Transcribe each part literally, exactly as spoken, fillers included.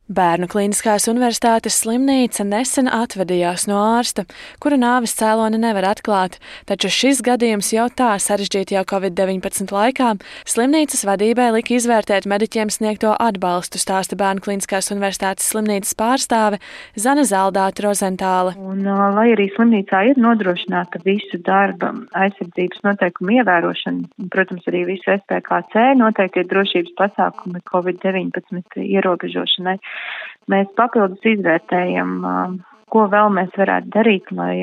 Bērnu Kliniskās universitātes slimnīca nesen atvadījās no ārsta, kura nāves cēloni nevar atklāt, taču šis gadījums jau tā sarežģīti jau covid deviņpadsmit laikā slimnīcas vadībai lika izvērtēt mediķiem sniegto atbalstu, stāsta Bērnu Kliniskās universitātes slimnīcas pārstāve Zane Zaldāte Rozentāle. Un, lai arī slimnīcā ir nodrošināta visu darba aizsardzības noteikumu ievērošana, protams, arī visu S P K C noteikti ir drošības pasākumi covid deviņpadsmit ierobežošanai. Mēs papildus izvērtējam, ko vēl mēs varētu darīt, lai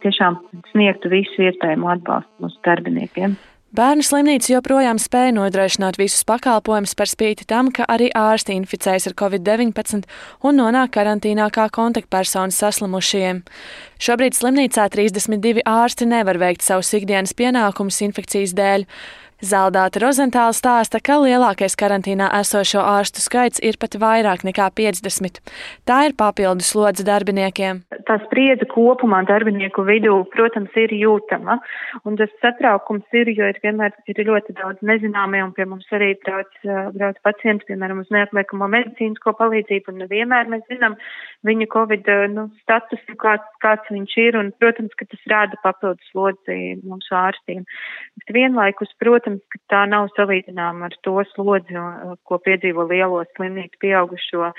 tiešām sniegtu visu iespējamo atbalstu mūsu darbiniekiem. Bērnu slimnīca joprojām spēja nodrošināt visus pakalpojumus par spīti tam, ka arī ārsti inficējas ar covid deviņpadsmit un nonāk karantīnā kā kontaktpersonas saslimušajiem. Šobrīd slimnīcā trīsdesmit divi ārsti nevar veikt savus ikdienas pienākumus infekcijas dēļ. Zaldāte Rozentāle stāsta, ka lielākais karantīnā esošo ārstu skaits ir pat vairāk nekā piecdesmit. Tā ir papildus slodze darbiniekiem. Tā spriedze kopumā darbinieku vidū, protams, ir jūtama, un tas satraukums ir, jo ir vienmēr ir ļoti daudz nezināmie, un pie mums arī brauc, brauc pacienti, piemēram, uz neatliekamo medicīnisko palīdzību, un nevienmēr mēs zinām viņa covid nu, statusu, kāds, kāds viņš ir, un, protams, ka tas rāda papildus slodzi mums ārstiem. Bet vienlaikus, protams, ka tā nav salīdzināma ar to slodzi, ko piedzīvo lielo slimnīcu pieaugušo,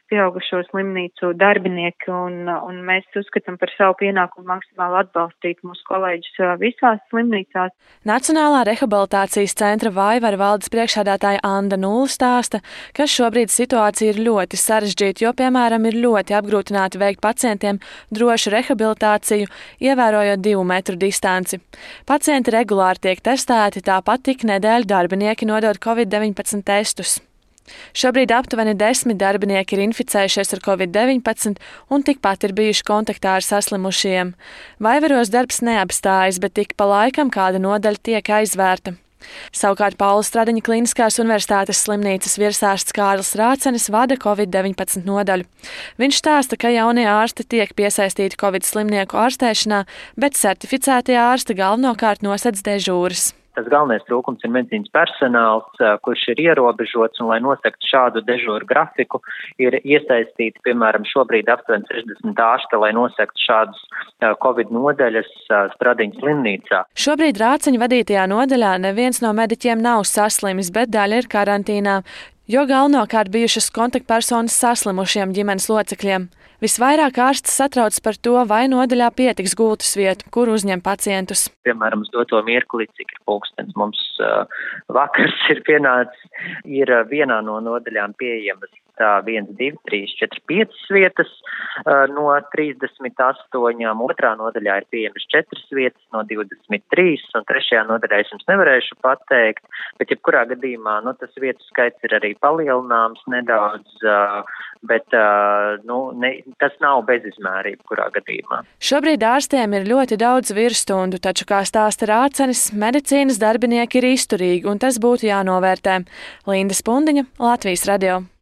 pieaugušo slimnīcu darbinieki, un, un mēs uzskatām par savu pienākumu maksimāli atbalstīt mūsu kolēģus visās slimnīcās. Nacionālā rehabilitācijas centra Vaivara valdes priekšsēdētāja Anda Nulle stāsta, ka šobrīd situācija ir ļoti sarežģīta, jo, piemēram, ir ļoti apgrūtināti veikt pacientiem drošu rehabilitāciju, ievērojot divu metru distanci. Pacienti regulāri tiek testēti, tāpat tik nedēļu darbinieki nodod covid deviņpadsmit testus. Šobrīd aptuveni desmit darbinieki ir inficējušies ar covid deviņpadsmit un tikpat ir bijuši kontaktā ar saslimušajiem. Vaivaros darbs neapstājas, bet tik pa laikam kāda nodaļa tiek aizvērta. Savukārt Paula Stradiņa Kliniskās universitātes slimnīcas virsārsts Kārlis Rācenis vada covid deviņpadsmit nodaļu. Viņš stāsta, ka jaunie ārsti tiek piesaistīti covid slimnieku ārstēšanā, bet certificētie ārsti galvenokārt nosedz dežūras. Tas galvenais trūkums ir medicīnas personāls, kurš ir ierobežots, un, lai nosaktu šādu dežūru grafiku, ir iesaistīti, piemēram, šobrīd aptuveni sešdesmit ārsti, lai nosaktu šādus covid nodaļas Stradiņas slimnīcā. Šobrīd Rāceņa vadītajā nodaļā neviens no mediķiem nav saslimis, bet daļa ir karantīnā, jo galvenokārt bijušas kontaktpersonas saslimušiem ģimenes locekļiem. Visvairāk ārsts satrauc par to, vai nodaļā pietiks gultas vietu, kur uzņem pacientus. Piemēram, uz doto mirkli, cik ir pulkstens mums uh, vakars ir pienācis, ir uh, vienā no nodaļām pieejamas tā viens, divi, trīs, četri, piecas vietas uh, no trīsdesmit astoņām, otrā nodaļā ir pieejamas četras vietas no divdesmit trīs, un trešajā nodaļā es jums nevarēšu pateikt, bet jebkurā gadījumā, nu, tas vietu skaits ir arī palielināms nedaudz, uh, bet, uh, nu, ne, tas nav bezizmērība, kurā gadījumā. Šobrīd ārstiem ir ļoti daudz virsstundu, taču, kā stāsta Rācenis, medicīnas darbinieki ir izturīgi, un tas būtu jānovērtē. Linda Spundiņa, Latvijas radio.